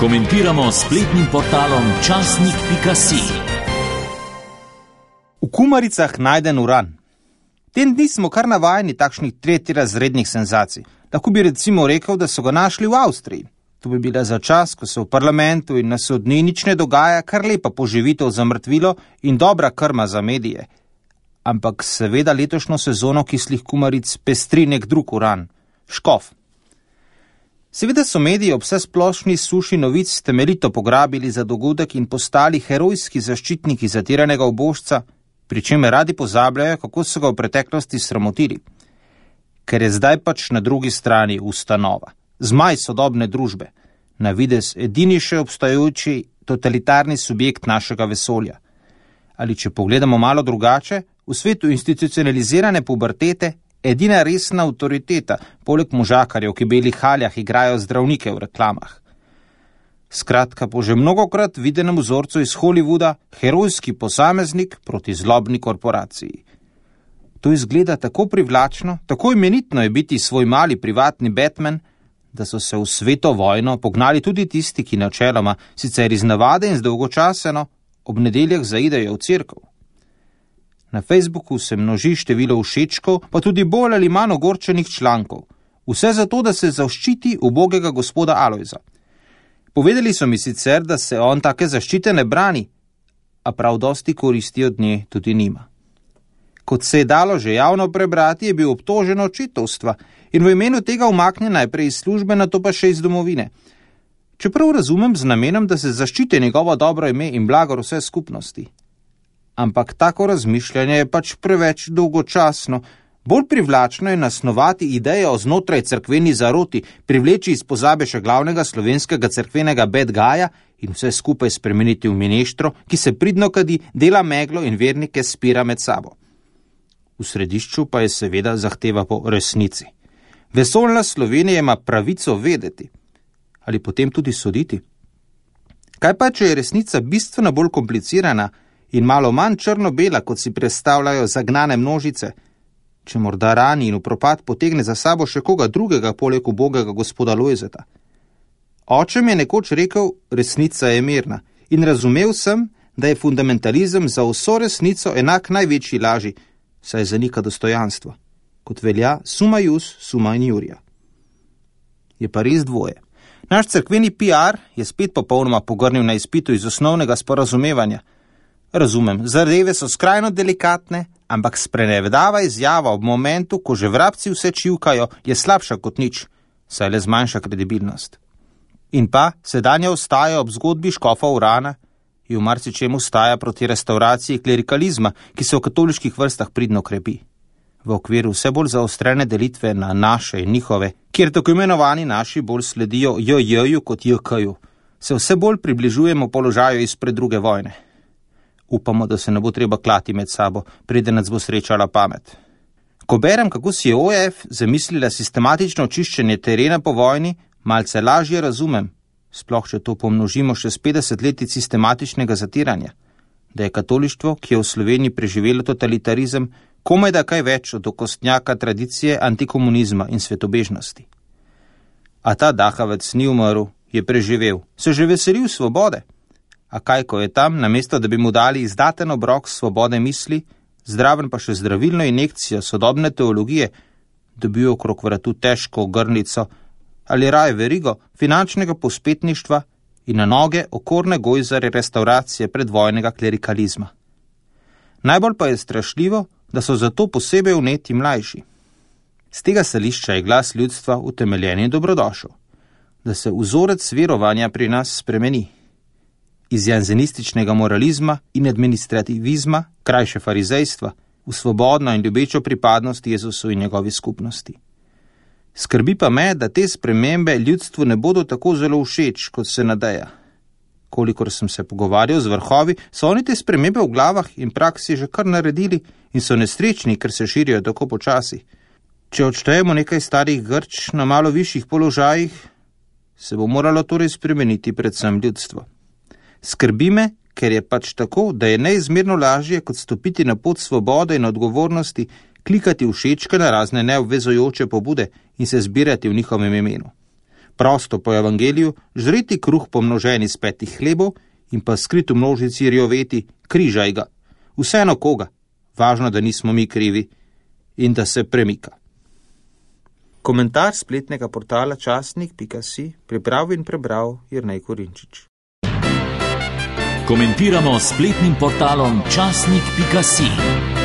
Komentiramo s spletnim portalom časnik.si. V kumaricah najden uran. Tem dni smo kar navajeni takšnih tretjerazrednih senzacij. Lahko bi recimo rekel, da so ga našli v Avstriji. To bi bila za čas, ko se v parlamentu in na sodni nič ne dogaja, kar lepa poživitev za mrtvilo in dobra krma za medije. Ampak seveda letošnjo sezono kislih kumaric pestri nek drug uran – škof. Seveda so mediji ob vsesplošni suši novic temeljito pograbili za dogodek in postali herojski zaščitniki zatiranega ubožca, pri čemer radi pozabljajo, kako so ga v preteklosti sramotili. Ker je zdaj pač na drugi strani ustanova, zmaj sodobne družbe, na videz edini še obstajajoči totalitarni subjekt našega vesolja. Ali če pogledamo malo drugače, v svetu institucionalizirane pubertete edina resna avtoriteta, poleg možakarjev, ki v belih haljah igrajo zdravnike v reklamah. Skratka, po že mnogokrat videnem vzorcu iz Hollywooda, herojski posameznik proti zlobni korporaciji. To izgleda tako privlačno, tako imenitno je biti svoj mali privatni Batman, da so se v sveto vojno pognali tudi tisti, ki načeloma, sicer iz navade in zdolgočaseno, ob nedeljah zaidejo v cerkev. Na Facebooku se množi število všečkov, pa tudi bolj ali manj ogorčenih člankov. Vse zato, da se zaščiti ubogega gospoda Alojza. Povedali so mi sicer, da se on take zaščite ne brani, a prav dosti koristi od nje tudi nima. Kot se je dalo že javno prebrati, je bil obtožen očetovstva in v imenu tega umaknjen najprej iz službe, nato pa še iz domovine. Čeprav razumem z namenom, da se zaščiti njegovo dobro ime in blagor vse skupnosti. Ampak tako razmišljanje je pač preveč dolgočasno. Bolj privlačno je nasnovati ideje o znotraj cerkveni zaroti, privleči iz pozabe še glavnega slovenskega cerkvenega bad guyja in vse skupaj spremeniti v mineštro, ki se pridno kadi, dela meglo in vernike spira med sabo. V središču pa je seveda zahteva po resnici. Vesoljna Slovenija ima pravico vedeti. Ali potem tudi soditi? Kaj pa, če je resnica bistveno bolj komplicirana in malo manj črno-bela, kot si predstavljajo zagnane množice, če morda rani in v propad potegne za sabo še koga drugega poleg ubogega gospoda Lojzeta. Oče mi je nekoč rekel, resnica je mirna, in razumel sem, da je fundamentalizem za vso resnico enak največji laži, saj zanika dostojanstvo. Kot velja summa ius, summa injuria. Je pa res dvoje. Naš cerkveni PR je spet popolnoma pogrnil na izpitu iz osnovnega sporazumevanja. Razumem, zadeve so skrajno delikatne, ampak sprenevedava izjava ob momentu, ko že vrabci vse čivkajo, je slabša kot nič, saj le zmanjša kredibilnost. In pa, sedanja ostaja ob zgodbi škofa Urana in v marsičem ostaja proti restauraciji klerikalizma, ki se v katoliških vrstah pridno krepi. V okviru vse bolj zaostrene delitve na naše in njihove, kjer tako imenovani naši bolj sledijo JJ-ju kot JK-ju, se vse bolj približujemo položaju izpred druge vojne. Upamo, da se ne bo treba klati med sabo, preden nas bo srečala pamet. Ko berem, kako si je OF zamislila sistematično očiščenje terena po vojni, malce lažje razumem, sploh če to pomnožimo še s 50 leti sistematičnega zatiranja, da je katolištvo, ki je v Sloveniji preživelo totalitarizem, komaj da kaj več od okostnjaka tradicije antikomunizma in svetobežnosti. A ta dahavec ni umrl, je preživel, se že veselil svobode. A kaj, ko je tam, namesto da bi mu dali izdaten obrok svobode misli, zdraven pa še zdravilno injekcijo sodobne teologije, dobil okrog vratu težko ogrnico ali raje verigo finančnega pospetništva in na noge okorne gojzare restauracije predvojnega klerikalizma. Najbolj pa je strašljivo, da so zato posebej vneti mlajši. Z tega stališča je glas ljudstva utemeljen in dobrodošel, da se vzorec verovanja pri nas spremeni. Iz janzenističnega moralizma in administrativizma, krajše farizejstva, v svobodno in ljubečo pripadnost Jezusu in njegovi skupnosti. Skrbi pa me, da te spremembe ljudstvu ne bodo tako zelo všeč, kot se nadeja. Kolikor sem se pogovarjal z vrhovi, so oni te spremembe v glavah in praksi že kar naredili in so nesrečni, ker se širijo tako počasi. Če odštejemo nekaj starih Grč na malo višjih položajih, se bo moralo torej spremeniti predvsem ljudstvo. Skrbi me, ker je pač tako, da je neizmerno lažje kot stopiti na pot svobode in odgovornosti, klikati všečke na razne neobvezujoče pobude in se zbirati v njihovem imenu. Prosto po evangeliju, žreti kruh pomnoženi z 5 hlebov in pa skrit v množici rjoveti, križaj ga. Vseeno koga, važno, da nismo mi krivi in da se premika. Komentar spletnega portala časnik.si pripravil in prebral Jernej Korinčič. Komentiramo s spletnim portalom časnik.si.